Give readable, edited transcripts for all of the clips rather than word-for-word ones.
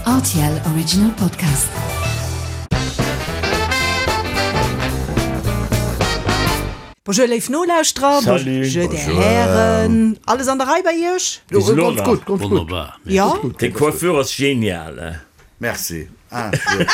Rtl Original Podcast. Bonjour léif Nolauschterer, bonjour där Hären. Alles an der Rei bei Iech? Jo, ganz gutt, ganz gutt. Wonnerbar. Jo. Deng Coiffure ass genial. Merci. Ah, jo.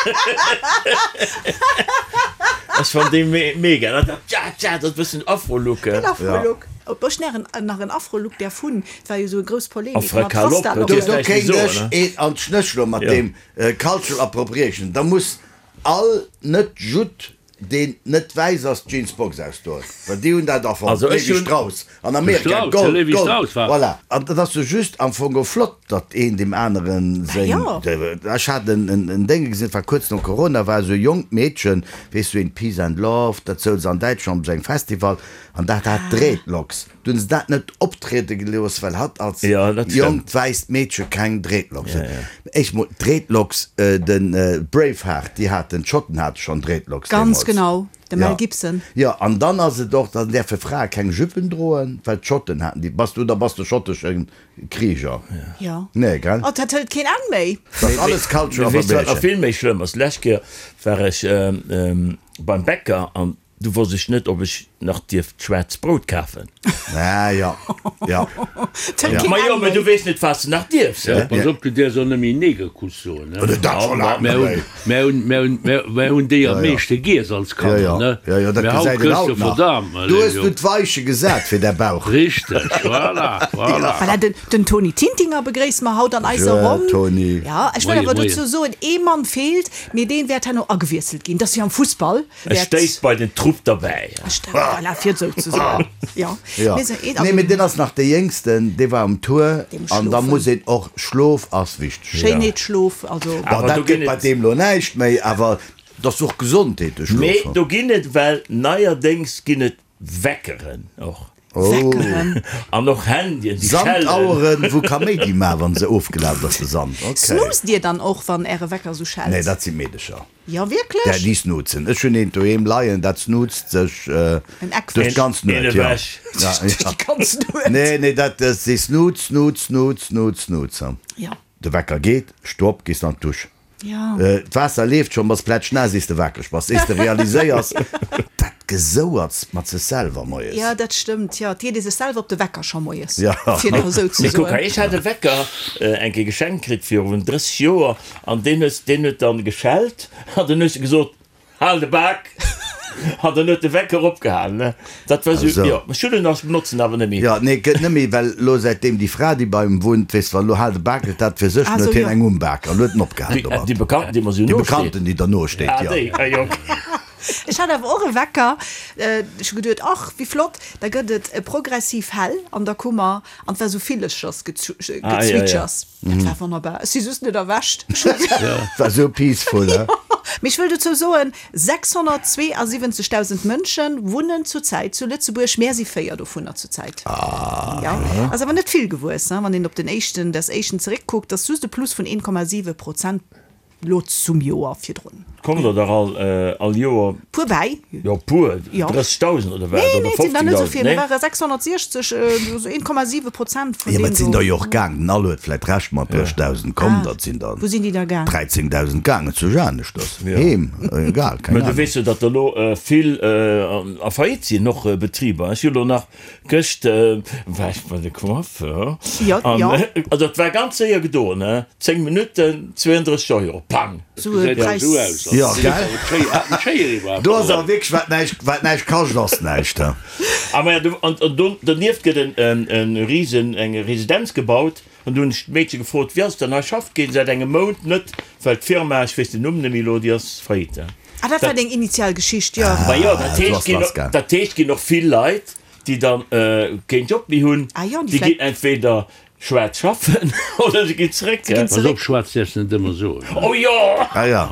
Ech fann déi mega. Dat dat tja tja, dat bëssen Afro-Look. Den Afro-Look. Ob ech nach en nach en Afro-Look däerf hunn? Et war jo esou e grouss Polemik mat Rasta. Do kéint ech een an d'Schnëss schloen mat deem Cultural Appropriation. Da muss all Net-Judd deen net wäiss ass, d'Jeans Box ausdoen, well déi hunn dat erfonnt, Levi Strauss an Amerika, Gold, Gold, voilà. An et ass jo just am Fong och flott, datt een deem aneren seng, ech hat en Dénge gesinn, dat war kuerz no Corona, war esou e jonkt Meedchen, weess du, een Peace and Love, dat souz an Däitschland op esou engem Festival, an dat hat Dreadlocks. Du hunn se dat net optriede gelooss, well hatt als jonkt wäisst Meedche keng Dreadlocks huet. Éischt mol, Dreadlocks, de Braveheart, déi haten, d'Schotten hate schonn Dreadlocks Ganz deemools. genau, de Mel Gibson. Jo, an dann ass et och, dann däerfe Frae keng Jüppen droen, well d'Schotten haten déi. Bass du, da bass de schottesche Krieger. Jo. Nee, gell? Oh, dat hëlt keen Enn méi. Dat ass alles Cultural Weess du, wat nach Appropriation. vill méi schlëmm ass? D'lescht Kéier war ech beim Bäcker an Du wosst ech net, ob ech nach dierft schwaarzt Brout kafen. Ah jo, jo. Ma jo, mä du weess net, wat s de nach dierfs, he? Pass op, du däerfs och net méi Negerkuss soen, he? Dat scho laang net méi. Mär hunn, mär hunn, mär hunn déi am meeschte giess als Kanner, ne? Jo, jo, dat Mä haut gesäit een kriss haut de nach. Verdam, Du hues du d'Weiche gesat fir däi Bauch. Richteg, voilà, voilà. Voilà, den, den Tony Tintinger begréisse mer haut an eiser Bonjour, Ronn. Tony. Ja, ech wëll Moie, awer moie. dozou soen, ee Mann feelt, mee deen wäert herno agewiesselt ginn. Dat ass wéi am Fussball. E stéisst bei den Trupp derbäi. Voilà, fir et esou ze soen. Jo. Jo. Nee, mee deen ass nach dee Jéngsten, dee war um Tour an da muss een och, Schlof ass wichteg. Schéinheet, Schlof, also. Bon, dat gëtt bei deem lo näischt méi, awer et ass och Gesondheet, de Schlof. Mee do ginn et well neierdéngs ginn et Weckeren och. Weckeren. An och Handyen, déi schellen. Sandaueren, wou Kaméidi maachen, wann se ofgelaf ass, de Sand. Ok. Snoozt Dir dann och, wann Äre Wecker esou schellt? Nee, dat si Meedecher. Jo, wierklech? Där, déi snoozen. Ech hunn eent doheem leien, dat snoozt sech duerch d'ganz Een Nuet, jo. ewech. Duerch déi ganz Nuet? Nee, nee, dat, dee snoozt, snoozt, snoozt, snoozt, snoozt. Jo. De Wecker geet, sto op, gees an d'Dusch. Jo. D'Waasser leeft schonn, bass plätschnaass, iers de wakereg bass, iers de realiséiers, dat Gesouerts mat sech selwer moies. Jo, dat stëmmt, jo. Et geet ee sech selwer op de Wecker scho moies, Jo. fir nach esou ze Mee kuck soen. hei, ech hat e Wecker eng Kéier geschenkt kritt virun 30 Joer An deen huet, deen huet dann geschellt an dann hues de gesot, Hal de Bak! An dann huet de Wecker opgehalen, ne? Dat war sou, jo. Ech hunn en nach, ech benotzen en awer net méi. Jo, nee, gëtt net méi, well elo säitdeem déi Fra, déi bei em wunnt, weess, wa lo Hal de Bak gëtt dat fir sech, dann huet hien eng um Bak an huet en opgehalen domat. Déi Bekannten, déi mer sou Déi nosteet. Bekannten, déi der nosteet, jo. Ah, déi, ah jo, okay. Ech hat awer och e Wecker, ech hu geduet, ach, wéi flott, da gëtt et progressiv hell an der Kummer an et war sou Villechersgezwitschers. Dat war wonnerbar. Ech si just net erwächt. War sou peaceful, he? Mee ech wëll dozou soen, 672.000 Mënsche wunnen zurzäit zu Lëtzebuerg. Mär si 4 dovunner zurzäit. Jo, ass awer net vill gewuess, wann een op den éischten, des éischten zeréckkuckt, ass just e Plus vun 1,7 Prozent. Lo zum Joer virdrun. Kommt der dach all all Joer. Puer bäi. Jo puer, 30.000 oder wat? Nee, Oder nee, et sinn der net esou 15.000, vill. Mir nee? ware 660, esou 1,7 Prozent vun Jo, mä deem et sinn do. der jo och gaang. Den All huet vläit Recht mat 30.000 komm, Ah, dat sinn der wou sinn déi da gaang? 13.000 gaangen zu Janeschters, heem, egal, keng Mä du Ahnung. weess jo, datt der elo vill a Faillite sinn, och Betriber. Ech hu lo nach Gëscht war ech bei de Coiffeur an also et war ganz séier gedoen, he, 10 Minutten, 32 Euro, pang! Jo, gell? Do ass awer wierklech, wat näischt, wat näischt kascht, ass näischt, he. A maja, do, an do donieft gëtt en e Risen, eng Residenz gebaut an do hunn ech d'Meedche gefrot, wéi ass et dann hei, schafft keen säit engem Mount net, well d'Firma, ech weess den Numm net méi elo, déi ass faillite. Ah, dat war deng initial Geschicht, jo. Ma jo, dat heescht, ginn, dat heescht, ginn och vill Leit, déi dann keen Job méi hunn, déi ginn entweder schwaarz schaffen oder se ginn zeréck. Pass op, schwaarz däerfs de net ëmmer soen. Oh jo! Ah ja.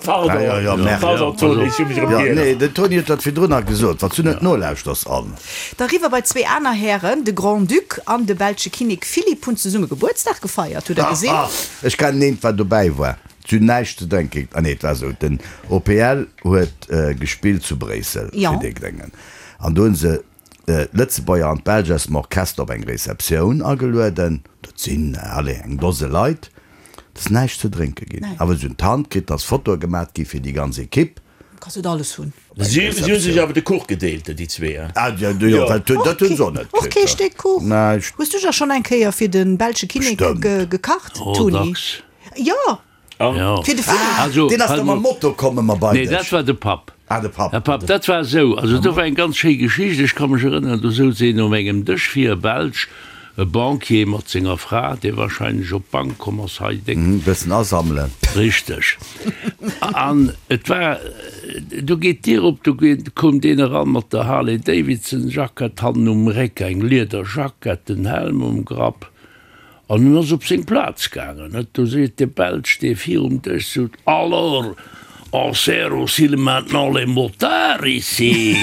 Pardon, Ah ja, ja, merde. Pardon Toni, ech hu mech erëm Ja, giert. nee, den Toni huet dat virdrun nach gesot, wann s du net nolauschters an. Da riwwer bei zwee aner Hären, de Grand-Duc an de belsche Kinnek Philippe hunn zesumme Gebuertsdag gefeiert. Hutt der gesinn? Ech kennen eent, wat dobäi war. Si hunn näischt ze drénken. Ah nee, et war esou, den OPL huet gespillt zu Bréissel fir déi Gréngen. An do hu se d'Lëtzebuerger an d'Belsch aus dem Orchester op eng Receptioun agelueden. Dat sinn, allez, eng Dose Leit. Et ass näischt ze drénke ginn. Awer si hunn d'Hand kritt, dass Fotoe gemat gi fir déi ganz Ekipp. Kanns net alles hunn. Si hu sech awer de Kuch gedeelt, déi zwee. Ah jo, jo, well dat hunn se och net kritt. Och kee Stéck Kuch? Näischt. Hues du da schonn eng Kéier fir de belsche Kinnek gekacht, Oh, Toni? dacks. Jo, Jo. fir de Philippe. Also, Deen ass da mam Moto komm ëmmer bei Nee, dech. dat war de Papp. Ah, de Papp. De Papp, dat war esou, also do war eng ganz schéi Geschicht, ech ka mech erënneren, do souz een um engem Dësch vir, e Belsch, e Banquier mat senger Fra, dee wahrscheinlech op d'Bank komm ass hei déck. Mhm, bëssen asammelen. Richteg. An et war, do geet d'Dier op, do koum deen eran mat der Harley Davidson Jackett hannen um Réck, eng Liederjackett, den Helm um Grapp. An en ass op seng Plaz gaangen, net? Do seet de Belsch, dee virum Dësch sot, Alors, on sert aussi maintenant les motards ici?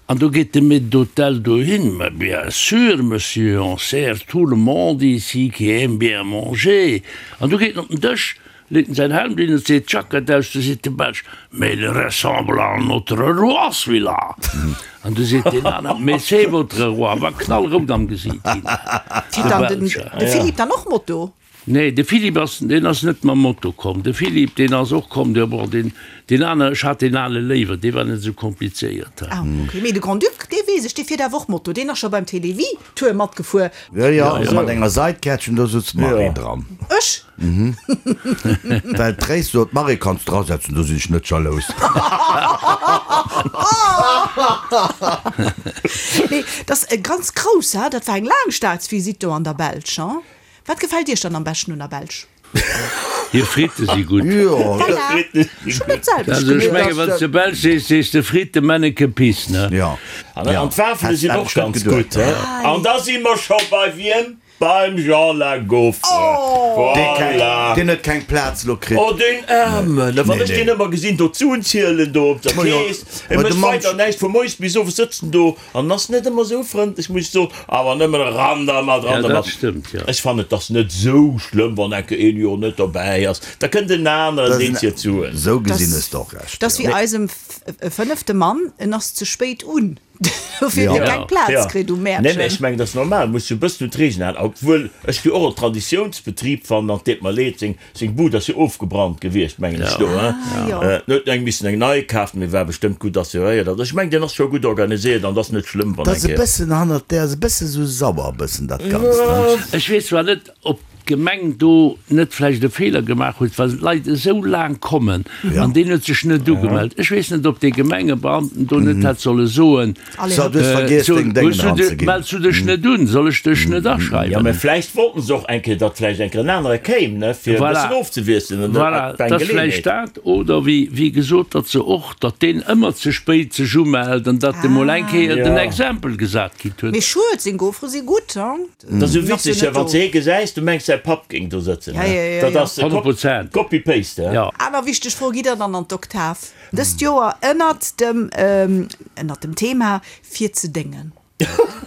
An do geet de Maître d'hôtel dohin, Mais bien sûr, monsieur, on sert tout le monde ici qui aime bien manger. An du geet en op den Dësch, Leet en säin Helm drun an seet d'Jackett aus, du seet de Belsch, Mais il ressemble à notre roi, celui-là! An du seet deen aner, Mais c'est votre roi! War knallrout am Gesiit ginn, Fiert de dann den Belsch. de Philippe dann och Moto? Nee, de Philippe ass, deen ass net mam Moto komm. De Philippe, deen ass och komm, de, bon, deen, deen aner, ech hat deen ale léiwer, dee war net esou komplizéiert. Ah, ok. Mee de Grand-Duc, dee weess ech, dee fiert awer och Moto. Deen ass scho beim Télévie Tour matgefuer. Jo, jo, mat enger Saitkärtchen, do sutz d'Marie dran. Ech? Well d'Tréis sot, Marie, kanns drasetzen, do sinn ech net jalous. Nee, dat ass e ganz grouss, ha? Dat war eng laang Staatsvisitt do an der Belsch, ha? Wat gefält Iech dann am beschten un der Belsch? Hir Fritte si gutt. Voilà, ech hunn dat selwecht Also ech geduecht. menge wann s de Belsch sees, sees de Fritte, Menneke, Piss, ne? Jo. An d'Wafele sinn och ganz gutt, he? An da si mer scho bei wiem? Beim Jean La Gaufre. Voilà. Deen huet keng Plaz lo kritt. Oh deen Aarmen, wann ech deen ëmmer gesinn do d'Suen zielen do op der Kees, e mécht weider näischt, vu moies bis owes sëtzt en do an ass net ëmmer esou frëndlech, muss ech soen, awer nëmmen eran dermat, eran dermat. Ech fannen et ass net esou schlëmm, wann enke een Joer net dobäi ass, da kënnt en aneren, deen zielt d'Suen. Esou gesinn hues de och Recht. Dat ass wéi eisem fënnefte Mann, en ass ze spéit un. Dofir huet e keng Plaz kritt um Mäertchen. Nee, mä ech mengen, dat ass normal, muss jo e bëssen un d'Reegelen halen. Obwuel ech jo och en Traditiounsbetrib fannen, an et deet mer leed, seng, seng Bud ass jo ofgebrannt gewiescht, mengen ech do, hein. En huet eng missen eng nei kafen, mee war bestëmmt gutt assuréiert. Also ech mengen, deen ass scho gutt organiséiert an et ass net schlëmm, wann Dat ass eng e Kéier. bëssen hannert där, ass e bësse sou sauer e bëssen dat Ganzt, hein. Ech weess zwar net, ob d'Gemeng do net vläicht e Feeler gemaach huet, well d'Leit esou laang kommen an deen huet sech net ugemellt. Ech weess net, ob dee Gemengebeamten do net hätt solle soen, So, du hues vergiess deng Déngen eranzeginn. Mells du dech net un, soll ech dech net Jo, aschreiwen? mä vläicht wollten se och eng Kéier, datt vläicht eng Kéier en anere kéim, ne, fir e Voilà. bëssen ofzewiesselen. An Voilà, dat war dat eng ass vläicht Geleeënheet. dat. Oder wéi, wéi gesot, datt se och, datt deen ëmmer ze spéit sech umellt an datt e mol eng Kéier den Exempel gesat kritt huet. Mee schued, seng Gaufere si gutt, hein? Dat ass esou witzeg, wann s de hee gesäis, du mengs säi Papp géing do sëtzen. Dat ass Copy-Paste. Aner wichteg Fro, Gitt der dann an d'Oktav dëst Joer ënnert dem ënnert dem Thema fir ze déngen?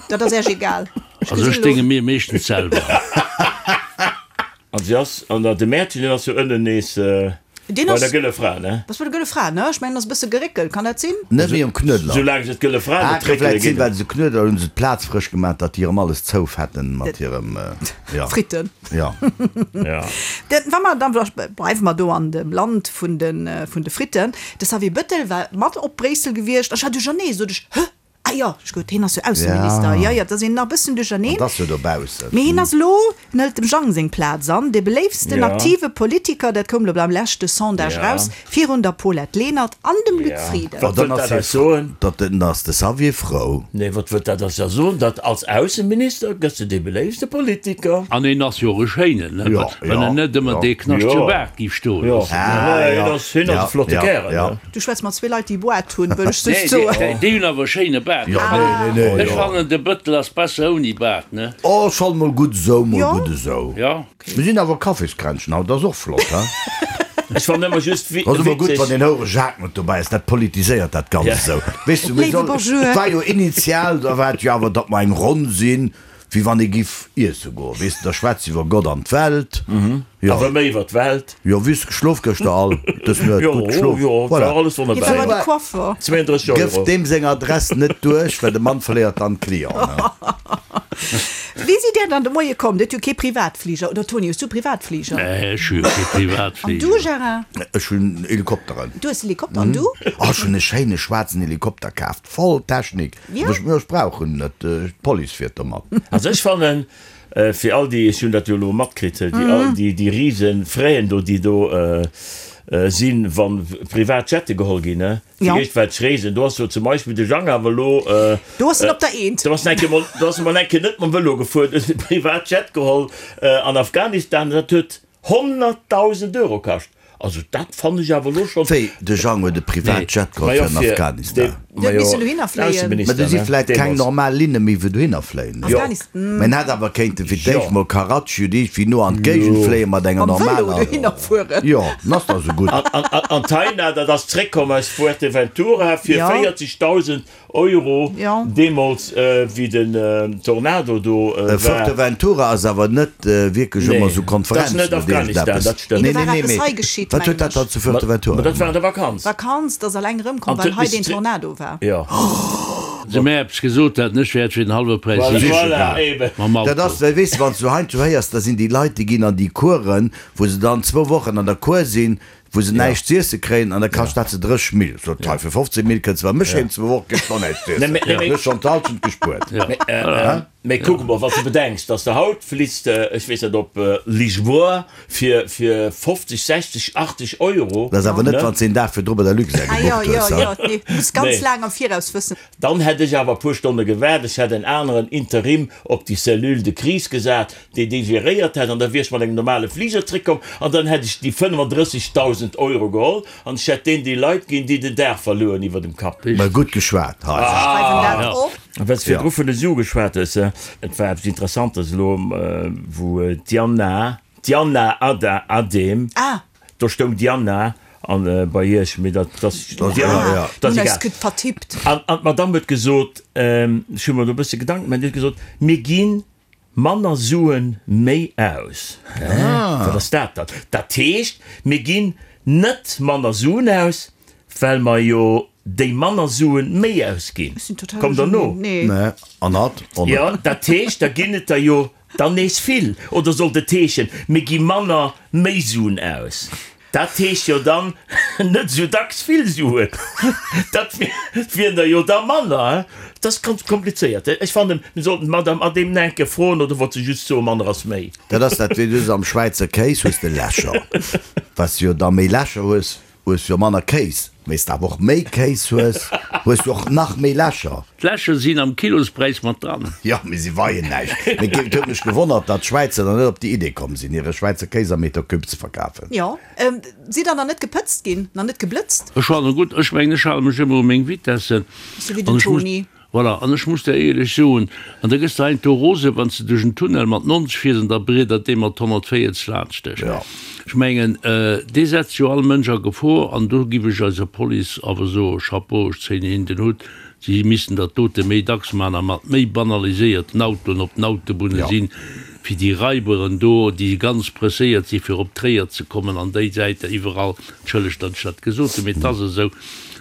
Dat ass Äech egal? Also ech dénge mir meeschtens selwer. An si ass an der, de Mäertchen deen ass jo ënnen nees Deen bei ass der Gëlle Fra, ne? Ass bei der Gëlle Fra, ne? Ech mengen, ass e bësse geréckelt, kann dat sinn? Net méi um Knuedler. Soulaang se d'Gëlle Fra Ah, net ka réckele vläit sinn, ginn. well se Knuedler hunn se d'Plaz frësch gemaach, datt déi erëm alles zoufetten mat hirem, jo. Fritten. Jo. Ja. Den, wa mer dann, bleiwe mer do an dem Land vun de, vun de Fritten. De Xavier Bettel war mat op Bréissel gewiescht. Ech war duerchernee, sot ech, Hë? Ah jo, ech gutt, hien ass jo Ausseminister. Jo, jo, et ass een nach e bëssen duercherneen. Et ass jo dobaussen. Mee hien ass elo, en hëlt dem Jang seng Plaz an, dee beléiftsten aktive Politiker, dat koum elo beim leschte Sondage raus, virun der Paulette Lenert an dem Luc Frieden. Wat wëllt dat eis soen? Dann ass de Xavier frou. Nee, wat wëllt dat eis da soen? Datt als Ausseminister gëss de dee beléiftste Politiker. An en ass jo och e schéinen, ne? Wann en net ëmmer dee knaschtege Baart géif stoe loossen. Jo, hien ass e flotte Kärel, ne? Du schwätz mat zwee Leit déi Boart hunn, wëll ech Nee, just soen. déi, déi hunn awer e schéine Baart. Jo, nee, nee, nee, Ech jo. fannen de Bëttel ass besser ouni Baart, ne? Oh, schonn mol gutt esou, mol Jo. gutt esou. Jo. Mir sinn awer Kaffiskränzchen haut, ass och flott, he? Ech fannen ëmmer just wi, Ass ëmmer gutt, witzeg. wann den Houere Jacques mat dobäi ass, dat politiséiert dat Ganzt esou. Weess du, mir Léiwe soll, Bonjour. et war jo initial, da war et jo awer, datt mer eng Ronn sinn, wéi wann ee giff iesse goen, weess de, da schwätze iwwer Gott an d'Welt. Jo. Awer méi iwwer d'Welt. Jo, wéi hues de geschlof gëschter all dës Nuet? Jo, Gutt geschlof? jo, Voilà. war alles Hie war wonnerbar. bei de Coiffer. 32 Gëff Euro. deem seng Adress net duerch, well de Mann verléiert dann d'Clienten. Wéi sidd Dir dann de Moie komm? Dir hutt jo kee Privatfliger, oder Toni, hues du Privatfliger? Nee, ech hu jo kee Privatfliger. An du, Gérard? Ech hunn Helikopteren. Du hues Helikopter, an du? Oh, ech hunn e schéine schwaarzen Helikopter kaaft, voll Technik. Jo. Ech, ech brauch en net, d'Police fiert domat. Also ech fannen, fir all déi, ech hunn dat jo elo matkritt, déi all déi, déi rise Fräen do, déi do sinn, wa privat Jette geholl ginn, ne? Fir Jo. iergendwelch Reesen. Do ass jo zum Beispill de Jang awer elo. Do ass en op der Eent. Do ass en eng Kéier mol, do ass en mol eng Kéier net mam Vëlo gefuer, do huet en e Privatjet geholl an Afghanistan. Dat huet 100.000 Euro kascht. Also dat fannen ech awer elo schonn. Wéi, de Jang huet e Privatjet geholl fir an Afghanistan? Deen huet missen dohinner fléien. Mä do si vläit keng normal Linne méi wou dohinner fléien. Afghanistan. Mä en hätt awer kéinte fir d'éischt mol Karachi oder iergendwéi no an d'Géigend fléie mat enger Mam Vëlo normaler. dohinner fueren. Jo, en ass da sou gutt. An d'Taina, dat ass zréckkomm aus Fuerteventura fir 40.000 Euro, deemools wéi den Tornado do war. Fuerteventura ass awer net wierklech ëmmer esou Konferenzen oder iergendeppes. Dat ass net Afghanistan, dat stëmmt. Nee, nee, nee, mee wat huet dat dann zu Fuerteventura gemaach? Dat war an der Vakanz. Vakanz, dat ass eleng erëmkomm, well hei deen Tornado war. Jo. Se mir eppes gesot hätten, ech wäert fir den hallwe Präis Voilà, mam Auto. Dat ass, well weess de, wann s du heiansdo héiers, da sinn déi Leit, déi ginn an déi Coursen, wou se dann zwou Wochen an der Cour sinn, wou se näischt z'iesse kréien an da kascht dat se 30 Mille. Sot hei, fir 15 Mille kënns de bei mech heem, zwou Woche kriss de och näischt z'iessen. Du hues schonn d'Halschent gespuert. Mee kuck emol, wann s de bedenks, dass de haut fliss de, ech weess net, op Lisboa fir 50, 60, 80 Euro. Dat ass awer net, wann s de een Dag virdru bei der Luxair gebucht hues. Ah jo, jo, jo, nee, muss ganz laang am Viraus wëssen. Dann hätt ech awer e puer Stonne gewaart, ech hätt en aneren Interim op déi Cellule de crise gesat, déi déi geréiert hätt, an da wier ech mat engem normale Fliger zréckkomm an dann hätt ech déi 35.000 Euro geholl an ech hätt deen déi Leit ginn, déi den Daach verluer hunn iwwer dem Kapp. Mä gutt geschwat hei. Ech schreiwen dat op. Well s de virdru vun de Sue geschwat hues, et war eppes Interessantes elo, wou d'Diana, D'Diana Ada Adem, do stoung Diana an bei iech, mee dat ass Diana, dat ass egal. An d'Madame huet gesot, ech hu mer do e bësse Gedanken gemaach, déi huet gesot, mir gi manner Sue méi aus. Hä? Wat ass dat dann? Dat heescht, mir ginn net manner Suen aus, well mer jo déi manner Suen méi ausginn. Kommt Der no? Jo, dat heescht, da ginn et der jo Dann nees vill? Oder sollt et heeschen, mir gi manner méi Suen aus? Dat heescht jo dann net esou dacks vill Suen. Dat wieren der jo da manner. Dat ass ganz komplizéiert. Ech fannen, mir sollten d'Madame Adehm nach eng Kéier froen, oder wollt se just soen, manner ass méi? Dat ass dat, wéi du se am Schwäizer Kéis hues, de Lächer. Wat s du jo da méi Lächer hues, Hues jo manner Kéis, mee s de awer och méi Kéis hues, hues du och nach méi Lächer. D'Lächer sinn am Kilospräis mat dran. Jo, mee si weien näischt. Mee et huet mech gewonnert, datt d'Schwäizer dann net op déi Idee komm sinn, hire Schwäizer Kéis am Meter Cube ze verkafen. Jo, sidd der nach net gepëtzt ginn, nach net geblëtzt? Ech fannen gutt, ech mengen ech hale mech ëmmer u meng Vitessen. Sou wéi den Toni. Voilà, an ech muss der éierlech soen, an da gëss de heiansdo rose wann s de duerch en Tunnel mat 90 fiers an da briedert dee mat 140 laanscht dech. Ech mengen, dee setzt jo all Mënsch a Gefor an do giff ech eiser Police awer soen, Chapeau, ech zéien hinnen den Hutt, si missten dat dote méi dacks man a mat méi banaliséierten Autoen op den Autobunne sinn, fir déi Raiberen do, déi ganz presséiert si fir op Tréier ze kommen an déi Säit iwwerall, entschëllegt, datt ech dat gesot hunn, mee et ass esou.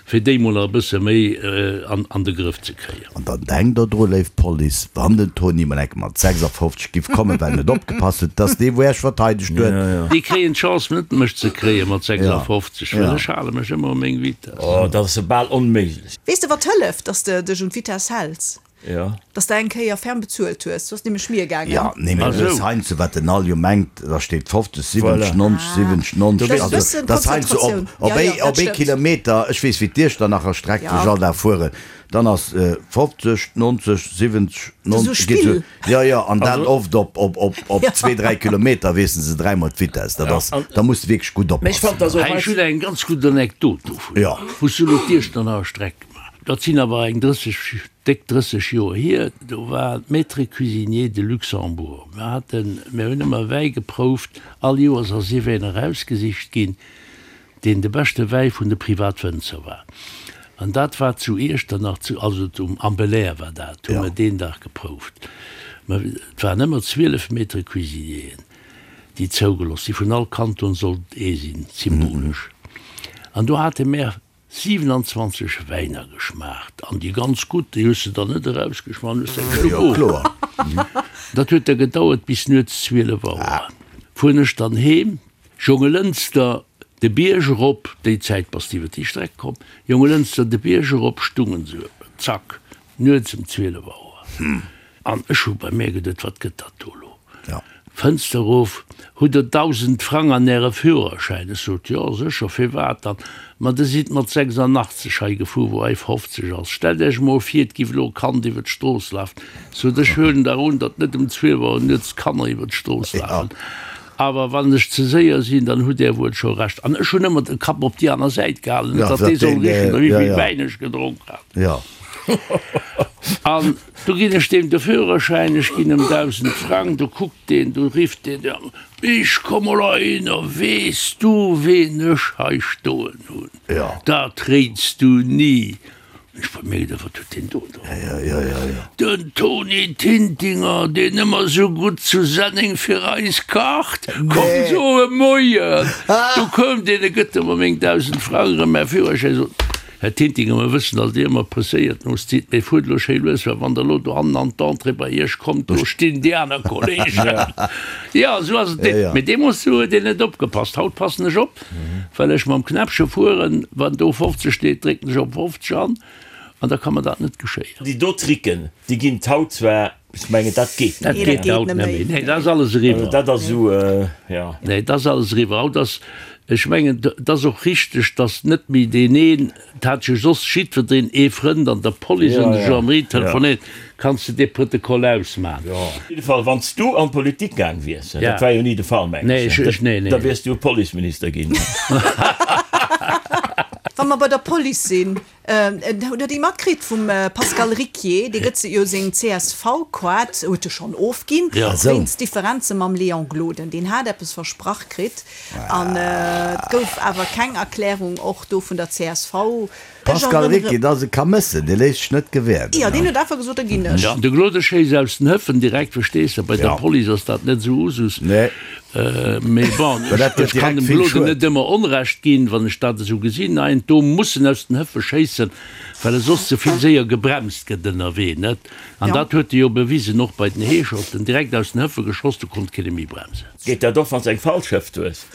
Fir déi mol nach e bësse méi an de Grëff ze kréien. An dann denkt der dru, léif Police, wann den Toni mol enke mat 56 giff kommen, well en net opgepasst huet, dass dee wou Äech verteidegt huet. Déi kréien d'Chance net mech ze kréie mat 56, well ech hale mech ëmmer u meng Vitess. Oh, dat ass jo bal onméiglech. Weess de wat hëlleft, dass de dech un d'Vitess häls? Jo. Dass de eng Kéier ferm bezuelt hues. Du ass nämlech mir gaangen. Jo, nee, mee du hues heiansdo, wat den All jo mengt, da steet 50, 70, 90, 70, 90, also dat ass heiansdo op, op ee, op ee Kilometer, ech weess wéi d'Iechternacher Streck, wou ech all Dag fueren, dann ass 50, 90, 70, 90, geet esou, jo, jo, an dat oft op, op, op, op zwee, dräi Kilometer wiessele se dräimol d'Vitess, dat ass, da muss de wierklech gutt oppassen. Hei, ech hunn eng ganz gutt Anekdot dovun, wou s du elo d'Iechternacher Streck gemaach. Dat sinn awer eng 30, déck 30 Joer hier, do war Maître Cuisinier de Luxembourg. Mir haten, mir hunn ëmmer Wäi geprouft, all Joers ass iwween erausgesicht ginn, deen de beschte Wäi vun de Privatwënzer war. An dat war zu Iechternach, zu, also um, am Belair war dat, hu mir deen Dag geprouft. Mä et waren ëmmer 12 Maîtres Cuisinieren, déi zougelooss sinn, vun all Kanton sollt ee sinn, symbolesch. An do hate mär 27 Wäiner geschmaacht an déi ganz gutt, déi hues de dann net erausgeschmaach, hues de eng Schlupp of. Dat huet da gedauert bis nuets 12 Auer. Fueren ech dann heem, Jongelënster de Bierg erop, déi Zäit bass de iwwer déi Streck komm, Jongelënster de Bierg erop, stungen se, zack, nuets ëm 12 Auer. An ech hu bei mär geduet, Wat gëtt dat do elo? Fënster erof, Hutt Der 1.000 Frang an Äre Führerschäin? Ech sot, Jo, sécher, firwat dann? Ma Der sidd mat 86 hei gefuer, wou hei 50 ass. Stellt Iech emol vir, et giff elo e Kand iwwer d'Strooss lafen. Sot ech, huelen dach un, datt net um 12 Auer nuets Kanner iwwer d'Strooss lafen. Awer wann ech ze séier sinn, dann hutt Där wuel scho Recht. An ech hunn ëmmer de Kapp op déi aner Säit gehalen, net datt dee soll richen, wéi vill Wäin ech gedronk hat. An du ginn ech deem de Führerschäin, ech ginn em 1.000 Frang, du kuckt deen, du rifft deen, Ich komm mol heihinner, weess du, ween ech hei stoen hunn? Dat réits du ni! Ech bei mir geduecht, wat huet deen do drop? Den Toni Tintinger, deen ëmmer sou gutt zu Senneng fir eis kacht, komm soe Moien! Du koum deen, e gëtt ëmmer meng 1.000 Frang erëm, mäi Führerschäin, sot, Här Tintinger, mer wëssen, datt Dir ëmmer presséiert no sidd, mee fuert elo schéi lues, well wann Der elo do hannen an d'Entrée bei Iech kommt, do stinn déi aner Kolleegen. Jo, esou ass et. Mee deemools huet een net opgepasst. Haut passen ech op. Well ech mam Knäppche fueren, wann do 50 steet, drécken ech op 50 an, an da ka mer dat net geschéien. Déi do Tricken, déi ginn et haut zwar, ech mengen, dat geet net méi. Dat geet haut net méi, nee, dat ass alles eriwwer. Dat ass esou, jo. Nee, dat ass alles eriwwer. Haut ass, ech mengen, et ass och richteg, datt net méi deen een, Et hat jo soss jiddwereen ee Frënd an der Police an der Gendarmerie telefonéiert, Kanns de dee Protokoll ausman? Op jidde Fall, wann s du an d'Politik gaang wiers, dat war jo ni de Fall, mengen ech, da wiers du Policeminister ginn. Wa mer bei der Police sinn, hutt Der déi matkritt vum Pascal Ricquier? Dee gëtt jo seng CSV-Koart, huet e schonn ofginn, wéinst Differenze mam Léon Gloden. Deen hat eppes versprach kritt. An et gouf awer keng Erklärung, och do vun der csv. Pascal Ricki, Dat ass e Kamëssen, dee léisst sech net gewäerden. Jo, deen huet einfach gesot, da ginn ech. De Claude schéisst aus den Hëffen direkt, verstees de, bei der Police ass dat net esou Usus. Mee bon, ech kann dem Claude net ëmmer Onrecht ginn, wann ech dat esou gesinn. Nein, do muss en aus den Hëffe schéissen, well e soss ze vill séier gebremst gëtt ënnerwee, net? An dat huet e jo bewisen, och bei den Heescherten, direkt aus den Hëffe geschoss, do konnt keen e méi bremsen. Geet dat och wanns eng falsch Hëft hues?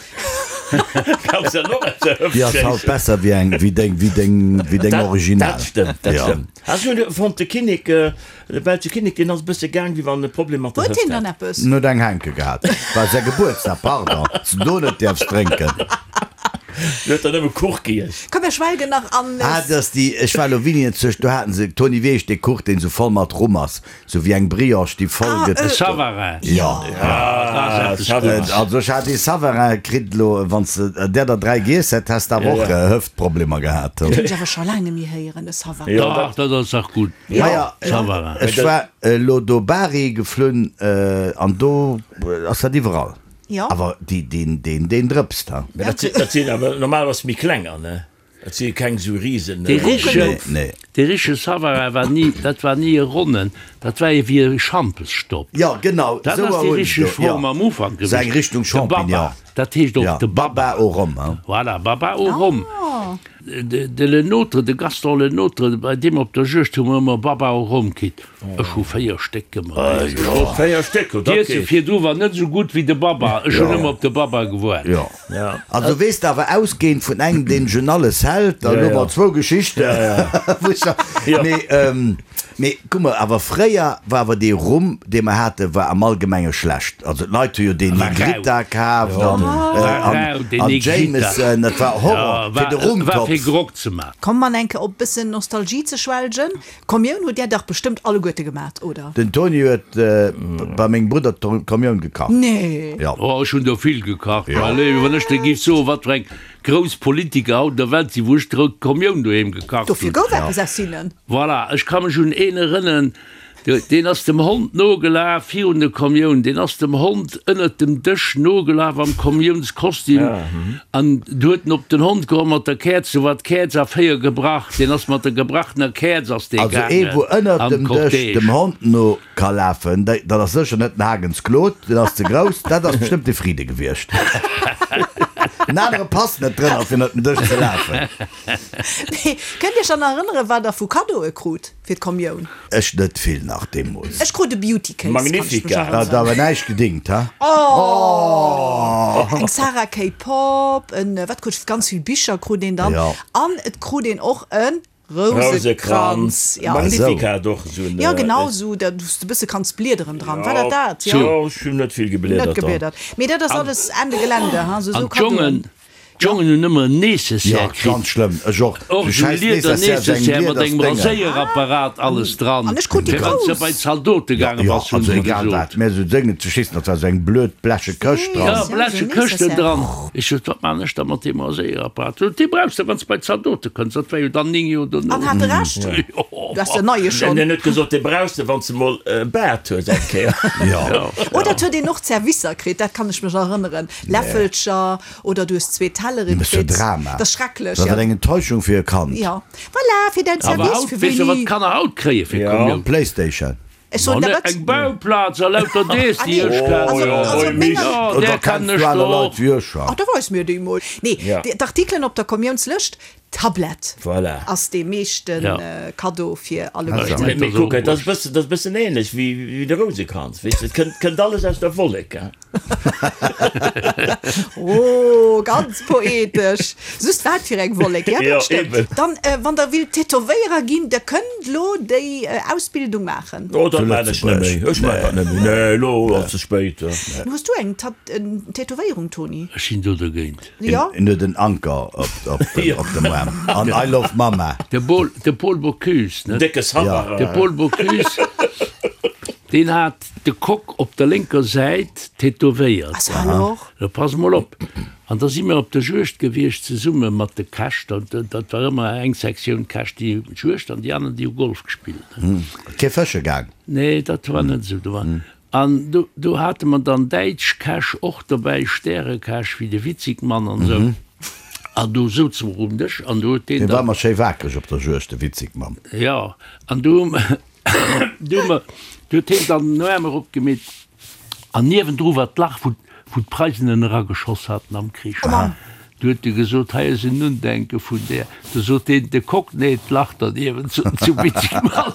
Kanns dann och aus der Hëft Déi ass halt schéissen. besser wéi eng wéi deng wéi deng wéi deng Original. Dat stëmmt, dat Ja. stëmmt. Ech hunn fonnt de Kinnek, de belsche Kinnek, deen ass e bësse gaang wéi wann e Problem mat der Huet Hëft hien dann hätt. eppes? En huet eng Hänke gehat. War säi Gebuertsdag, pardon, dass du do net däerfs drénken. Du huet der nëmme Kuch giess. Komm mir schwelgen nach an. Ah, dat ass déi, ech war elo Winienzeg, do haten se, Toni, wéi heescht dee Kuch, deen esou voll mat Rum ass? Sou wéi eng Brioche, déi voll gëtt. E Savarin. Jo. Ah, Savarin. Also ech hat ee Savarin kritt elo, wann s de där der 3 giess hätt, häss de awer och Hëftproblemer gehat. Dat hunn ech awer scho laang net méi héieren, e Savarin. Dach, dat ass dach gutt. Maja, Savarin. ech war elo do Bari geflunn an do ass dat iwwerall. Jo. Awer déi, deen, deen, deen drëpst, ha. Mä dat sinn, dat sinn awer normalerweis méi klenger, ne? Et si keng sou Risen. Dee richtegen, dee richtege Savarin war ni, dat war ni e ronnen, dat war ee wéi e Schampesstopp. Jo, genau, Dat ass déi richteg Form am Ufank gewiescht. Sou eng Richtung De Champignon. Baba, dat heescht och de Baba. Baba au rhum, hein. Voilà, Baba au rhum. De, de Lenôtre, de Gaston Lenôtre, bei deem op der Juegd hu mer ëmmer Baba au rhum kritt. Ech hu 4 Stéck gemaach. 4 Stéck, dat D'Iesse geet. virdu war net esou gutt wéi de Baba. Ech hunn ëmmer op de Baba gewaart. Jo. Also weess de awer ausgehend vun engem deen sech un alles hält, dann hu mer zwou Geschichten. Mee mee kuck mol, awer fréier war awer dee Rum dee mer haten, war am Allgemenge schlecht. Also d'Leit hu jo deen Negrita kaaft an an Jameson, dat war Horror fir de Rumtopf. Komm man enke op bëssen Nostalgie ze schwelgen. Kommioun hutt där dach bestëmmt alleguerte gemat, oder? Den Toni huet bei mengem Brudder d'Kommioun gekacht. Nee! Jo. Oh, ech hunn der vill gekacht, mäi Léiwe. Wann ech der géif soen, wat fir eng grouss Politiker haut an der Welt sinn, wou ech d'Kommioun doheem gekacht hunn. Dofir gouf eppes aus hinnen. Voilà, ech ka mech un een erënnen, Deen ass dem Hond nogelaf virun der Kommioun, deen ass dem Hond ënnert dem Dësch nogelaf am Kommiounskostüm an du huet en op den Hond geholl mat der Käerz, du war d'Käerz a 4 gebrach, deen ass mat der gebrachener Käerz ass dee Also ee gaangen wou ënnert an dem Dësch d'Cortège. dem Hond no ka lafen, dat ass sécher net den Hagens Claude, deen ass ze grouss, dat ass bestëmmt de Fride gewiescht. En anere passt net drënner fir ënnert den Dësch ze lafen. Mee kënnt Iech dann erënneren, wat Der vu Kaddoe krut fir d'Kommioun? Ech net vill nach deemools. Ech krut e Beauty Case, kann ech mech Magnificat. erënneren. Hat awer näischt gedingt, ha? Oh! Eng Sarah Kay Pop, en, wat krut ech, ganz vill Bicher krut een dann. Jo. An et krut een och e Rousekranz. Rousekranz. Ja. Magnificat och esou en. Jo, genau esou, da wou s de e bësse kanns bliederen dran. War dat dat? Jo. Jo, ech hunn net vill gebliedert Net dran. gebliedert. Mee dat ass alles Ende Gelände, ha, sou, sou An d'Jongen, Kaddoen. D'Jongen hunn ëmmer en Nécessaire Jo, kritt. ganz schlëmm. Ech och. Och Sou esou schäiss Lieder Nécessaire, sou eng Nécessaire mat engem Lieders Déngen. Raséierapparat alles dran. An ech krut déi Fir wann s de grouss. bei d'Zaldote Jo, gaange jo, bass, hunn also se egal gesot. wat. Mä sou Déngen ze schissen, dat war sou eng blöd bleche Këscht Ja, dran. Ja, bleche sou Këschten Nécessaire. dran. Ech sot, Wat man ech da mat deem Raséierapparat? Sot, Dee brauchs de, wann s de bei d'Zaldote kënns. Dat war jo dann 9 Joer dono. An hat e Recht. Jo. Du has den neie schonn. En huet gesot, dee brauchs de, wann s de mol e Baart hues eng Kéier. Jo. Oder et huet een och Zerwisser kritt, dat kann ech mech erënneren. Läffelcher. Oder du hues zwee Telleren Mee kritt. Dat ass jo Drama. Dat ass schrecklech, Dat ja. ass eng Enttäuschung fir e Kand. Ja. Voilà, fir däin Awer Service, haut, fir weess de wat wéini. d'Kanner haut kréie fir Ja. Komioun? Playstation. Ech soen Ma der ne, wat. eng Bauplaz a lauter dees, Ah déi nee, ech kennen. also, also oi, op menger. Jo, Oder där kenns kennen du ech aner der Leit och. wéi ech? Ach, da weis mir déi mol. Nee, Ja. d'Artikelen op der Kommiounslëscht, Tablett Voilà. ass dee meeschten Ja. Kaddo fir Also, alleguerten. Mee, mee dat ass och kuck, dat ass wurscht. bëssen, dat ass bëssen ähnlech wéi, wéi de Rousekranz, weess de, et kënnt, kënnt alles aus der Wollek, hein. Oh, ganz poetesch. Just wat fir eng Wollek, ja, Ja, dat stëmmt. eben. Dann, wann der willt Tätowéierer ginn, der kënnt lo déi Ausbildung maachen. Oh, dat Zu maan ech net méi. Lëtzebuerg. Ech maan dat net méi. Nee, elo ass ze spéit. Hues du eng Tat Tätowéierung, Tony? Ech sinn do dergéint. Jo. En huet en Anker op dem Aarm an I love Mama. De Paul, de Paul Bocuse, net? Décke Savarin. De Paul Bocuse, deen hat de Coq op der lénker Säit tätowéiert. Also alors? Lo pass mol op. An da si mir op der Juegd gewiescht zesumme mat de Käch. Dat, dat war ëmmer eng Sektioun Käch, déi hunn d'Juegd an déi aner, déi hu Golf gespillt. Kee fësche gaang? Nee, dat war net esou. Do war, an do, do hate mer dann däitsch Käch och dobäi, Stärekäch wéi de Witzigmann an esou. An do souze mer um Dësch an do huet deen Dee war dann. ëmmer schéi wakereg op der Juegd, de Witzigmann. Jo, an do hu mer. Du hu mer, du huet hien dann den Aarm eropgemeet an niewendru war d'Lach, wou, wou d'Preisen en erageschoss haten am Krich. Du huet e gesot, Hei ass en Undenke vun där. Du sot deen, de Kock, Nee, d'Lach derniewent zu, zu Witzigmann.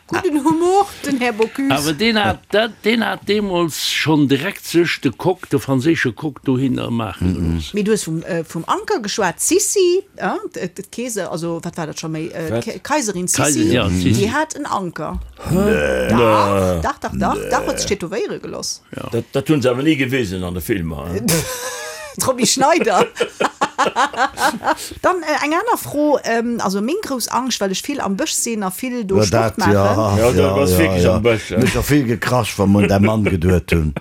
Gudden Humor, den Här Bocuse. Awer deen hat dat, deen hat deemools schonn direkt sech de Coq, de franséische Coq dohinner maache gelooss. Mee du hues vum, vum Anker geschwat, d'Sissi. D'Keeser, also wat war dat scho méi, d'Kaiserin Sissi, déi hat en Anker. Dach, dach, dach, dach, dach, huet sech tätowéiere geloss. Dat hunn se awer ni gewisen an de Filmer. D'Romy Schneider. Dann eng aner Fro, also meng grouss Angscht, well ech vill am Bësch sinn a vill do Sport maachen. Jo, du bass wierklech am Bësch. Mech och vill gekrasch, wa mer un däi Mann geduet hunn,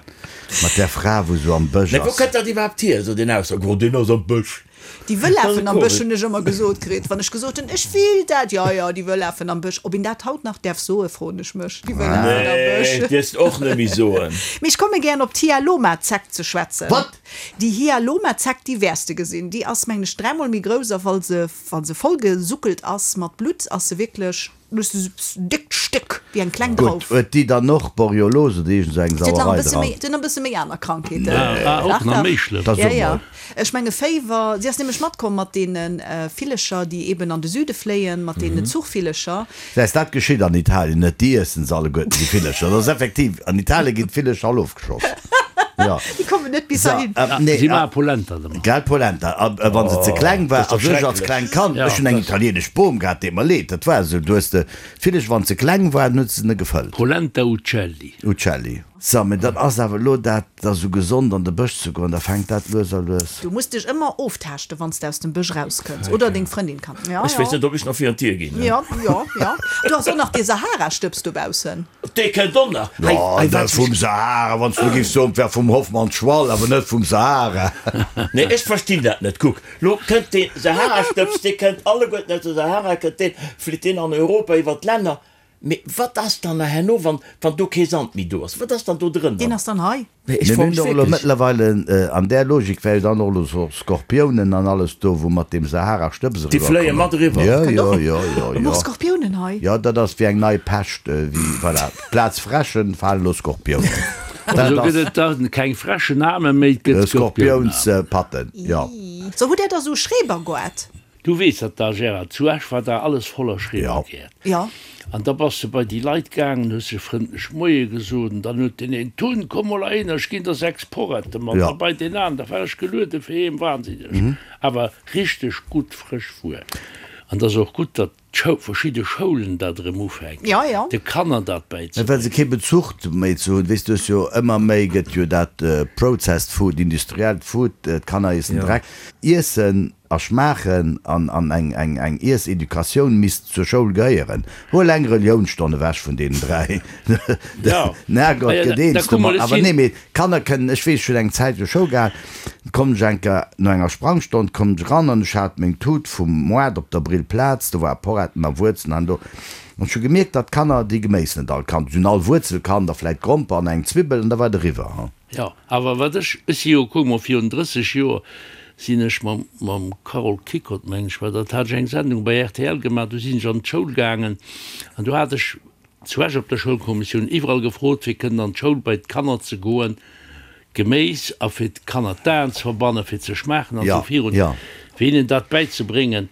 mat där Fra, wou sou am Bësch Mä wou ass. kënnt dat iwwerhaapt hier, esou deen Ausdrock, oh deen ass am Bësch? Déi Wëllafen am Bësch hunn ech ëmmer gesot kritt, wann ech gesot hunn, ech will dat. Jo, jo, déi Wëllafen am Bësch. Ob een dat haut nach däerf soen, froen ech mech. Déi Wëllafen am Bësch. Nee, dierfs och net méi soen. Mee ech komme gären op d'Hyaloma-Zeck ze schwätzen. Wat? Déi Hyaloma-Zeck, déi wäers de gesinn. Déi ass, mengen ech, dräimol méi grouss a wa se, wa se vollgesuckelt ass mat Blutt, ass se wierklech. Déckt Stéck, wéi eng kleng Gutt, Drauf. huet déi dann och Borreliose oder iergend esou eng Sauerei dran? Si huet nach e bësse méi aner Krankheeten. Ah, och nach méi schlëmm. Da so mol. Ech menge Féiwer. Si ass nämlech matkomm mat deene Villecher, déi eben an de Süde fléien, mat deene Zuchvillecher. Säis dat geschitt an Italien net, déi iessen se alleguerten, déi Villecher. Dat ass effektiv, an Italien ginn d'Villecher all ofgeschoss. Jo. Déi kommen net bis heihin. Nee, Si maache Polenta domat. Gell, Polenta. A wa se ze kleng war, also ech als klengt Kand, ech hunn eng italienesch Bom gehat, deet mer leed, dat war esou, du hues de Villech, wann ze kleng war, dann huet se ne gefëllt. Polenta Uccelli. Uccelli. So, mee dann ass awer elo dat da sou gesond an de Bësch ze goen, da fänkt dat lues a lues. Du muss dech ëmmer oftaaschten, wann s de aus dem Bësch rauskënns, oder deng Frëndin kann. Ja, Ech weess ja. net, ob ech nach virun d'Dier ginn. Ja, ja, ja. Du has och nach dee Sahara-Stëbs dobaussen. Dee kënnt och nach. Hei, Jo, hei, net wat vum Sahara, wann s du giffs soen, 't wär vum Hoffmann-Schwall, awer net vum Sahara. Nee, ech verstinn dat net. Kuck, lo kënnt dee Sahara-Stëbs, dee kënnt alleguerten aus der Sahara, kënnt deen, flitt deen an Europa iwwer d'Länner. Mee wat ass dann nach herno, wann, wann do kee Sand méi do ass? Wat ass dann do drënner? Deen ass dann hei. Mee ech Mir froe hunn mech och elo wierklech. mëttlerweile, an där Logik wär jo dann och elo sou Skorpiounen an alles do, wou mat deem Sahara-Stëbs Déi fléie eriwwerkommen. mat eriwwer. Jo, Kënnt jo, och. jo, jo, Hu mer jo. och Skorpiounen hei? Jo, dat ass wéi eng nei Pescht, wéi, voilà, plaz Fräschen falen elo Skorpiounen. Also gëtt et da keng Fräschenaarme méi, et gëtt Skorpiounsaarmen. Skorpioungspatten, jo. So, hutt Där da sou Schrebergoart? Du weess dat da, Gérard, zu Esch war da alles voller Schrebergäert. Jo. An da bass de bei déi Leit gaangen, hues se frëndlech Moie gesot, an dann huet deen een, Tun, komm mol heihinner, ech ginn der 6 Porrette mat. A bei deen aneren, da war ech geluede fir heem, wahnsinneg, awer richteg gutt frësch Wuer. An 't ass och gutt, datt d'Schou, verschidde Schoulen dat erëm ufänken, de Kanner dat bäizebréngen. Well se kee Bezuch méi ze hunn, weess du, hues jo ëmmer méi gëtt jo dat processed food, industriellt Food, d'Kanner iessen Dreck. Iessen A schmaachen an an eng eng eng Iesseducatioun misst zur Schoul gehéieren. Huel eng Reliounsstonn ewech vun deenen 3, den Herrgott gëtt eens domat. Awer nee, mee d'Kanner kënnen, ech weess, ech hunn eng Zäit jo Schoul gehal, komm ech eng Kéier no enger Sprangstonn komm ech eran an ech hat meng Tut vum Moart op der Brillplaz, do war Poretten a Wuerzen an do, an ech hu gemierkt, datt d'Kanner déi Geméis net all kannt. Se hunn all Wuerzel kannt a vläit Gromper an eng Zwibbel an da war et eriwwer. Jo, awer wat ech, ech si jo, kuck mol, virun 30 Joer sinn ech mam, mam Carole Kickott, mengen ech war dat, hat ech eng Sendung bei rtl gemaach, do sinn ech an d'Schoul gaangen an do hat ech zu Esch op der Schoulkommissioun iwwerall gefrot, fir kënnen an d'Schoul bei d'Kanner ze goen, Geméis a fir d'Kanner d'Aen ze verbannen, fir ze schmaachen an esou virun, fir hinnen dat bäizebréngen.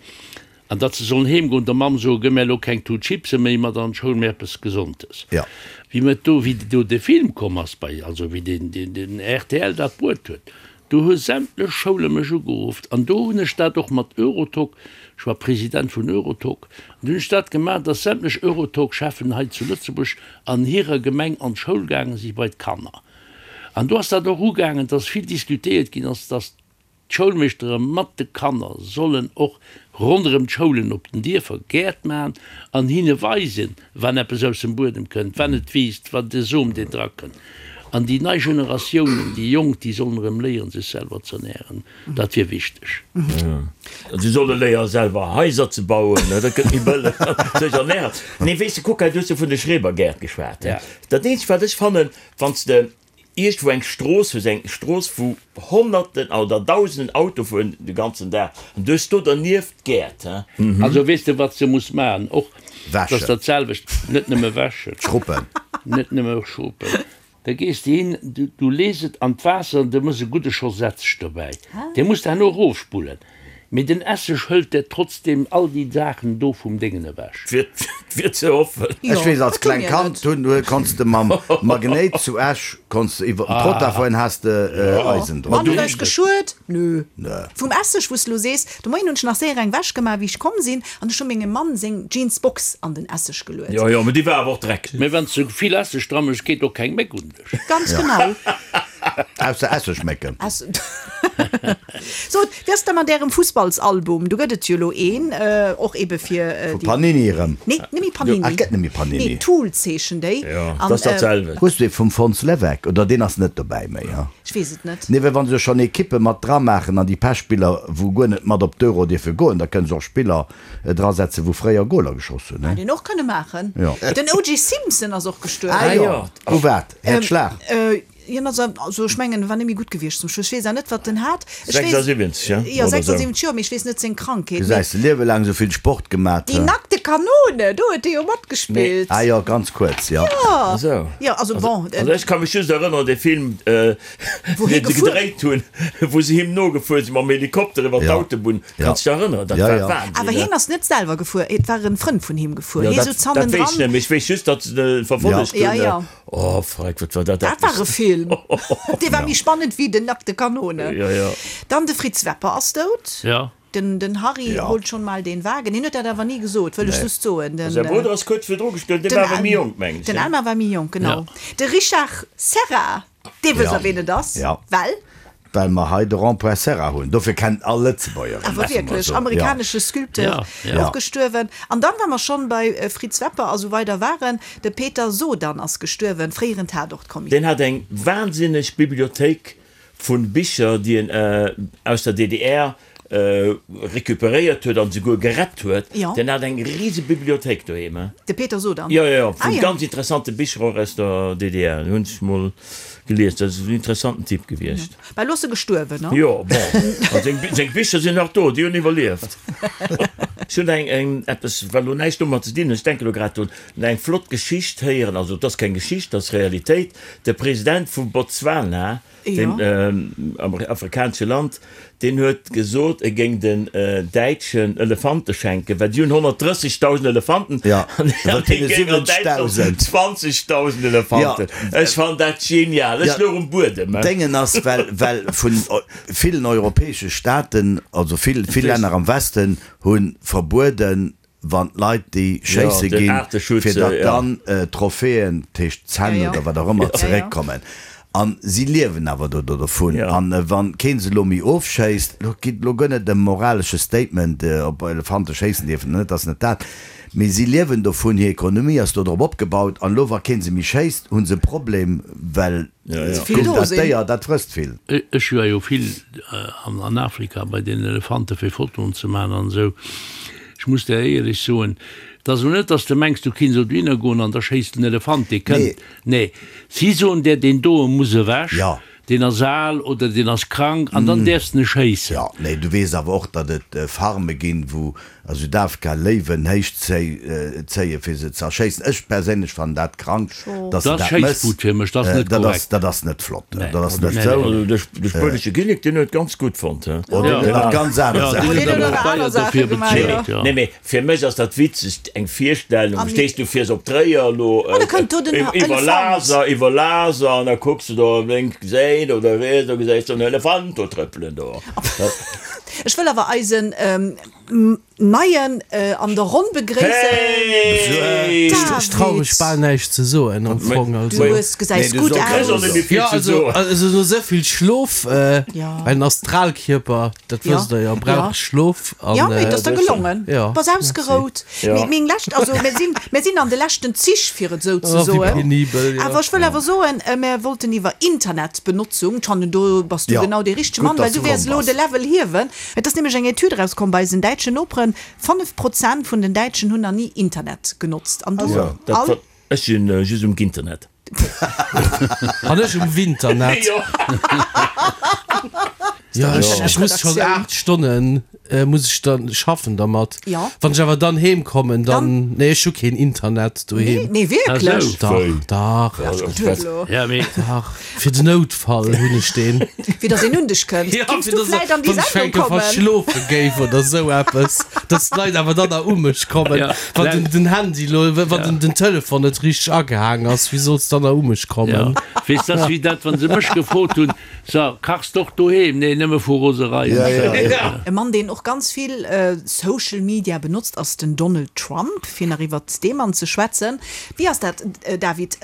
An datt se sollen heem goen, der Mamm soen, gëmm mär elo keng Tut Chipse méi mat an d'Schoul, mä eppes Gesondes. Ja. Wéi mer do, wéi do de Film komm ass bei, also wéi den, den, den rtl dat bruet huet, do hu sämtlech Schoule mech ugeruff an do hunn ech dat och mat Eurotalk, ech war President vun Eurotalk, an do hunn ech dat gemaach, datt sämtlech Eurotalk-Cheffen hei zu Lëtzebuerg an hirer Gemeng an d'Schoul gaange si bei d'Kanner. An do ass dat och ugaangen, datt vill diskutéiert ginn ass, datt D'Schoulmeeschtere mat de Kanner sollen och ronderëm d'Schoulen op den Dierfer Gäert maachen an hinne weisen, wann eppes aus dem Buedem kënnt, wann et wiisst, wann de Som deen drakënnt. An déi nei Generatiounen, déi Jonk, déi sollen erëm léieren, sech selwer z'ernären. Dat wier wichteg. Si solle léieren, selwer Haiser ze bauen, dat gëtt méi bëlleg, sech ernären. Nee, weess de, kuck hei, du hues jo vun de Schrebergäert geschwat. Dat eenzegt, wat ech fannen, wann s de Iergendwou eng Strooss hues, eng Strooss wou Honnerten oder Dausenden Auto fueren de ganzen Dag, an du hues do dernieft Gäert, he. Also weess de wat s de muss maachen och, dat ass dat selwecht, net nëmme wäschen, Schruppen, net nëmme schruppen, da gees de hin, du lees et an d'Waasser an du mëss e gudde Schoss Esseg dobäi, dee muss de herno erofspullen. Mee den Esseg hëlt der trotzdem all déi Saachen do vum Déngen ewech. Wier ze hoffen. Ech weess als kleng Kand hunn konnts de mam Magnéit zu Esch konnts de iwwer den Trottoir fueren has de Eisen drop. Wann huet eis geschuet? Nö. Vum Esseg wous de lo sees, de Moien hunn ech nach séier eng Wäsch gemaach wéi ech komm sinn an ech hu mengem Mann seng Jeansbox an den Esseg geluet. Jo jo, mee déi war awer och dreck. Mee wann s de vill Esseg dra méchs, geet och keng Méck un dech. Ganz genau. Ausser Essegmécken. Sot, wéi ass et da mat Ärem Fussballsalbum? Do gëtt et jo elo een, och ebe fir déi. Vu Panini erëm? Nee, net méi Panini. Ah, et gëtt net méi Panini. Nee, Tools heeschen déi. Jo, dat ass dat selwecht. Hues du ee vum Fons Leweck? Oder deen ass net dobäi méi, ha? Ech weess et net. Nee, well wa se jo schonn Ekippe mat dramaachen an déi Pechspiller, wou guer net mat op d'Euro dierfe goen, da kënne se och Spiller drasetzen, wou fréier Goler geschoss hunn, ne? Hätt een och kënne maachen. Jo. Den O.J. Simpson ass och gestuerwen. Ah jo, u wat? Häerzschlag? Hien ass, also ech mengen, e war net méi gutt gewiescht zum Schluss. Ech weess awer net, wat en hat. Ech weess, 76, ja? Jo, 76 Joer, mee ech weess net seng Krankheet. Gesäis de, Liewe laang esou vill Sport gemat. Die nackte Kanone, do huet e jo matgespillt. Ah jo, ganz kuerz, jo. Jo, jo, also bon. Also ech ka mech just erënneren un dee Film, deen se gedréit hunn, wou se him nogefuer sinn mam Helikopter iwwer d'Autobunn. Kanns dech erënneren? Dat war Wahnsinn. Awer hien ass net selwer gefuer, et war en Frënd vun him gefuer. Hie souz hannendran. Dat weess ech net, mee ech weess just, datt se e verfollegt hunn. Jo, jo. Oh freck, wat war dat Dat war e Film! Dee war méi spannend wéi Den nackte Kanone. Jo, jo. Dann de Fritz Wepper ass dout. Jo. Den, den Harry ja. holt schon mal den Wagen. Hien huet dat awer ni gesot, wëll ech just soen. Den, Säi Brudder ass kuerz virdru gestuerwen, dee war awer méi jonk, mengen ech. Den Elmar war méi jonk, genau. Ja. De Richard Serra, dee wësst der, ween et ass, ja. well? Well mer hei de Rond-point Serra hunn. Dofir kennt all Lëtzebuerger en. Awer wierklech, amerikanesche Sculpteur, och gestuerwen. An dann, wa mer schonn bei Fritz Wepper a sou weider waren, de Peter Sodan ass gestuerwen, fréieren Tatort-Kommissär. Deen hat eng wahnsinneg Bibliothéik vu Bicher, déi en aus der DDR recuperéiert huet an esouguer gerett huet. Deen hat eng rise Bibliothéik doheem. De Peter Sodan? Jo, jo, jo, vu ganz interessante Bicher och aus der DDR. Hunn ech mol Gelies, dat ass en interessanten Typ gewiescht. Bah, elo ass e gestuerwen, ne? Jo, bon, a seng, seng Bicher sinn nach do, déi hunn iwwerlieft. Ech hunn eng, eng, eppes, wat elo näischt domat ze dinn huet, ech denke elo grad drun, eng flott Geschicht héieren, also et ass keng Geschicht, et ass Realitéit, De President vu Botswana, deem afrikanesche Land, deen huet gesot, e géing den Däitschen Elefante schenken, well déi hunn 130.000 Elefanten an hie géing an Däitschland 20.000 Elefanten. Ech fannen dat genial. Ech louch um Buedem. Déngen ass, well, well vun villen europäesche Staaten, also vill, vill Länner am Westen hu verbueden, wann d'Leit déi schéisse ginn, fir datt dann d'Trophäen, dat heescht d'Zänn oder wat och ëmmer, zeréckkommen. A si liewen awer do dovun. A wa kee se elo méi ofschéisst, elo geet elo guer net ëm moralesche Statement, ob Elefante schéissen dierfen oder net, dat ass net dat, mee si liewen dovun, hir Ekonomie ass do drop opgebaut. An elo wa kee se méi schéisst, hu se e Problem, well dat Déier, dat frësst vill. Ech war jo vill an Afrika bei den Elefante fir Fotoen ze maachen an esou. Ech muss der éierlech soen, et ass elo net, dass de mengs, du kinns elo dohinner goen an da schéisst den Elefant, dee kënnt. Nee, si soen der, deen doe muss ewech, deen ass al oder deen ass krank an dann däerfs de e schéissen. Jo, nee, du weess awer och, datt et Farme ginn, wou a Südafrika Léiwen héich zéien, fir se ze erschéissen. Ech perséinlech fannen dat krank, datt se Dat ass dat mëss. Schéisswut fir mech, dat ass net Dat ass, korrekt. dat ass net flott, dat ass net sou. Also de spuenesche Kinnek, deen huet et ganz gutt fonnt, he? Oh, deen huet nach ganz aner Ja, Saachen deen huet huet awer och aner deier Saache dofir gemaach, bezuelt, jo. jo. Nee, mee fir mech ass dat witzeg, eng Virstellung, stees du fiers op Tréier elo, Oh, da kënnt do den iwwer Elefant. Laser, iwwer Laser, an da kucks du do op lénks Säit oder riets, da gesäis du en Elefant do trëppelen do. Ech wëll awer eisen Neien an der Ronn begréissen. Hey! Ech trau mech bal näischt ze soen am Fong. Also. Du hues, gesäis gutt aus. Jo, also, also no esou vill Schlof, well en Astralkierper, dat wësst der jo, brauch Schlof an. Jo, mee et ass der gelongen. Du bass ausgerout. Mee meng lescht, also mir sinn, mir sinn an de leschten Zich, fir et esou ze soen. Oh, wéi penibel, jo. Awer ech wëll awer soen, mir wollten iwwer Internetbenotzung, ech fannen do bass du genau dee richtege Mann, well du wäers elo de Level hiewen. Et ass nämlech eng Etüd erauskomm bei eisen däitschen Noperen, 5 Prozent vun den Däitschen hunn nach ni Internet genotzt. An du all? Ech sinn just um Ginternet. An ech um Winternet. Jo, ech muss schonn 8 Stonnen muss ech dann schaffen dermat. Wann ech awer dann heem kommen, dann, nee ech hu keen Internet doheem. Nee, wierklech? Dach, dach. Dach. Fir den Noutfall hunn ech deen. Fir datt een un dech kënnt. Ja, Géings fir du datt, vläit an déi wann ech Sendung enke kommen? verschlofe géif oder sou eppes, datt d'Leit awer dann nach u mech kommen. Ja, Wann den, den Handy lo, wann den, den Telefon net richteg agehaang ass, wéi solls dann nach u mech Ja, kommen? weess, dat ass wéi dat, wann se mech gefrot hunn, So, kachs d'och doheem? Nee, nëmme vu Roserei. Ja, ja, ja. E Mann, deen och ganz vill Social Media benotzt, ass den Donald Trump. Fir nach iwwert dee Mann ze schwätzen, wéi ass dat, David,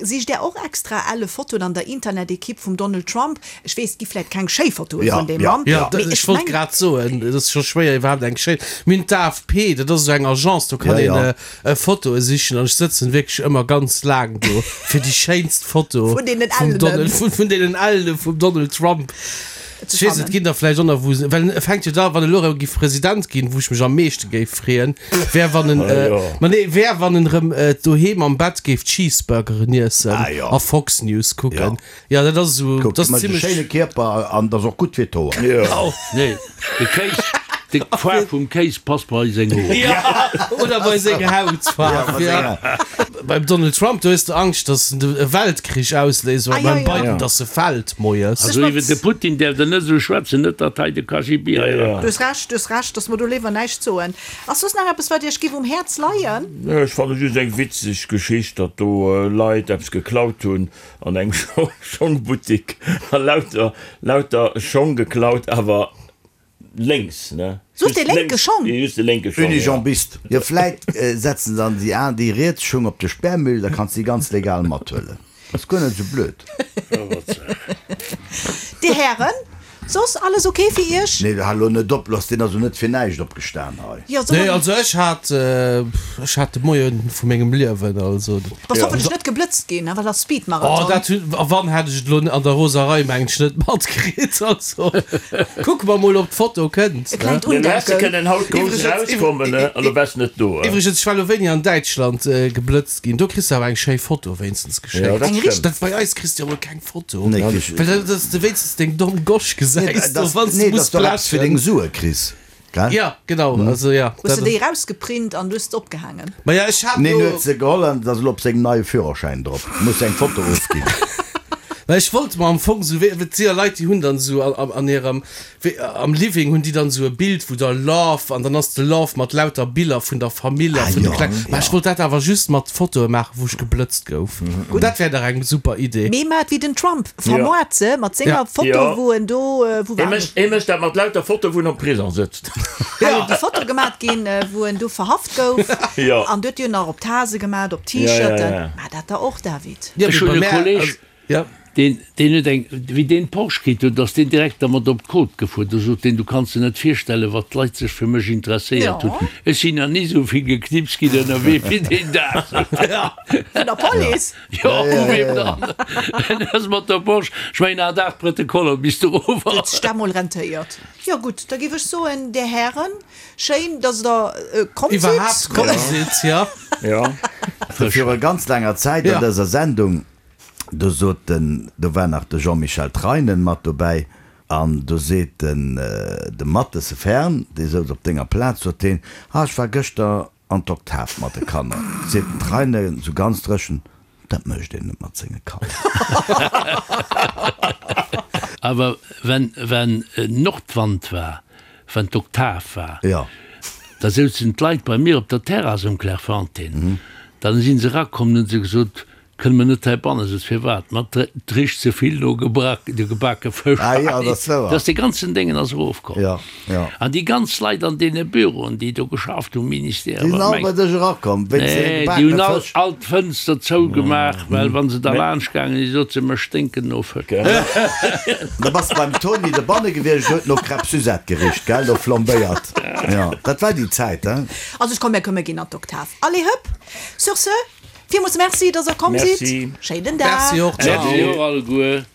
sicht Där och extra elle Fotoen an der Internet-Ekipp vum Donald Trump? Ech weess, et gi vläit keng schéi Fotoe vun deem Mann, Jo, mee ech ech wollt mengen. grad soen, et ass scho schwéier iwwerhaapt eng schéin. Mir hunn d'AFP, dat ass esou eng Agence, do kann een Fotoe sichen an ech sëtzen wierklech ëmmer ganz laang do fir déi schéinst Foto Vun deenen vum Ellenen. Donald, vun, vun deenen Ellene vum Donald Trump. Ze Ech weess, et fannen. ginn der vläicht och nach wou se, well e fänkt jo da, wann e lo erëm giff President ginn, wou ech mech am meeschte géif freeën, wär wann en, Ah, jo. ma nee, wär wann en erëm doheem am Bett géif Cheeseburgeren iessen Ah, jo. a Fox News kucken. Jo, dat ass esou, Kuck, dat ass mécht e zimlech. schéine Kierper an ass och gutt fir d'Hoer. Jo. Nee, de Kéis, de d'Faarf vum Kéis passt bei seng Hoer. Ja, oder bei seng Hautfaarf, ja. Beim Donald Trump, do hues de Angscht, datt en e Weltkrich ausléist, oder Ah, ja, beim ja. Biden, datt e fält moies. Also iwwer de Putin däerft der net esou schwätzen, net datt hei de KGB hei Du erakennt. hues Recht, du hues Recht, datt mer do léiwer näischt soen. Ass soss nach eppes, wat Iech giff um Häerz leien? Ech fanne just eng witzeg Geschicht, datt do Leit eppes geklaut hunn An engem Schongbuttik a lauter lauter Schong geklaut, awer lénks, ne? Just dee lénke Schong? Just de lénke Schong, ja. Unijambist, jo vläit setzen se dann déi an déi riets Schung op de Sperrmüll, da kanns de déi ganz legal mathuelen. Ass guer net esou blöd. Dir Hären, Soss alles ok fir iech? Nee, hal lo net op, lass, deen ass lo net fir näischt opgestan hei. Jo, soll Nee, mer. also ech hat, ech hat de Moien vu mengem Liewen, also. Bass hoffentlech net geblëtzt ginn, well ass Oh, Speedmarathon. dat hunn, a wann hätt ech et elo an der Roserei mengen ech net matkritt, also kucke mer mol ob d'Foto kënnt, E ne? klengt Mir hätte Undenken. kënnen haut grouss Iwwregens, erauskommen, ne, an du wars net do, eh? Iwwregens, ech war elo wéini an Däitschland geblëtzt ginn, do kriss de awer eng schéi Foto wéinstens Ja, geschéckt. dat Eng stëmmt. Dat bei eis kriss de jo mol keng Foto. Nee, kriss Well dat, dass de wéinstens deng domm Gosch Nee, gesäis do, dass, wann s de nee, muss dass du eppes fir deng blechen. Sue kriss. Gell? Ja, genau, also ja. Hues de déi erausgeprint an hues se opgehaangen? Ma ja, ech hat Neen, lo. huet se geholl an et ass elo op sengem neie Führerschäin drop. Muss eng Foto ofginn. Well ech wollt mer am Fong sou, wéi, et si ja Leit, déi hunn dann sou an, an hirem, wéi, am Living hunn déi dann sou e Bild, wou da Love, an dann ass de Love mat lauter Biller vun der Famill a Ah vun de jo, Kleng. Mä ech ja. wollt dat awer just mat Fotoe maachen, wou ech geblëtzt gouf. Dat wär dach eng super Idee. Mee mat wéi den Trump vermoart se mat senger Ja. Foto, Jo. wou en do, wou Hie war en? mécht, hie mécht dat mat lauter Fotoe wou en am Prison sëtzt. Hei huet déi Foto gemat ginn, wou en do verhaft gouf. Jo. An huet jo nach op Tase gemat, op Ja, ja, T-Shirten. ja. Mä dat der och, David. Ja, Ech mee hunn bei e mär, Kolleg, also, ja. Deen, deen huet eng, wéi deen Porsche kritt huet, ass deen direkt dermat op d'Côte gefuer. Do sot deen, du kanns der net virstellen, wat d'Leit sech fir mech interesséiert hunn. Jo. Ech sinn nach ni esou vill geknipst ginn ënnerwee wéi deen Dag, sot deen. Vun der Police? Jo, u weem dann? En ass mat der Porsche, ech mengen, hat 8 Protokoller bis do erof Huet ass. sech dat mol rentéiert. Jo gutt, da géif ech soen, Där Hären, schéin, dass Der komm sidd. Iwwerhaapt komm sidd, ja. Jo. Viru ganz laanger Zäit an Ja. dëser Sendung Do sot den, do war nach de Jean-Michel Treinen mat dobäi, an do seet den, de Mathese Fern, dee souz op denger Plaz, sot deen, Ah, ech war gëschter an d'Oktav mat de Kanner. Seet den Treinen esou ganz dréchen, Dat mécht een net mat senge Kanner. Awer wenn, wenn Nordwand war, wenn d'Oktav war, Jo. da souzen d'Leit bei mir op der Terrass um Clairefontaine. Dann si se erakomm, dann hu se gesot, Kënne mer net heibanne sëtzen? Firwat? Ma et richt ze vill no gebake Fësch Ah jo, dat ass wouer. Dass dee ganzen Déngen ass erofkomm. Jo, jo. An déi ganz Leit an deene Büroen, déi do geschafft hunn, Ministère, Déi sinn wat all bei mengt. dech erakomm wéinst deene Nee, déi hunn gebakene all, Fësch. all d'Fënster zougemaach, well wa se da laanscht gaangen sinn, sot se, Mer sténken no Fësch. Da bass de beim Toni dobanne gewiescht, huet no Crêpes Suzette gericht, gell, no flambéiert. Jo, dat war déi Zäit, hein. Also ech komm, mir këmme ginn an d'Oktav. Allez, hëpp! Sur ce, Villmools Merci, dass der komm sidd. Merci. Schéinen Dag. Merci och, ciao. Merci och alleguer.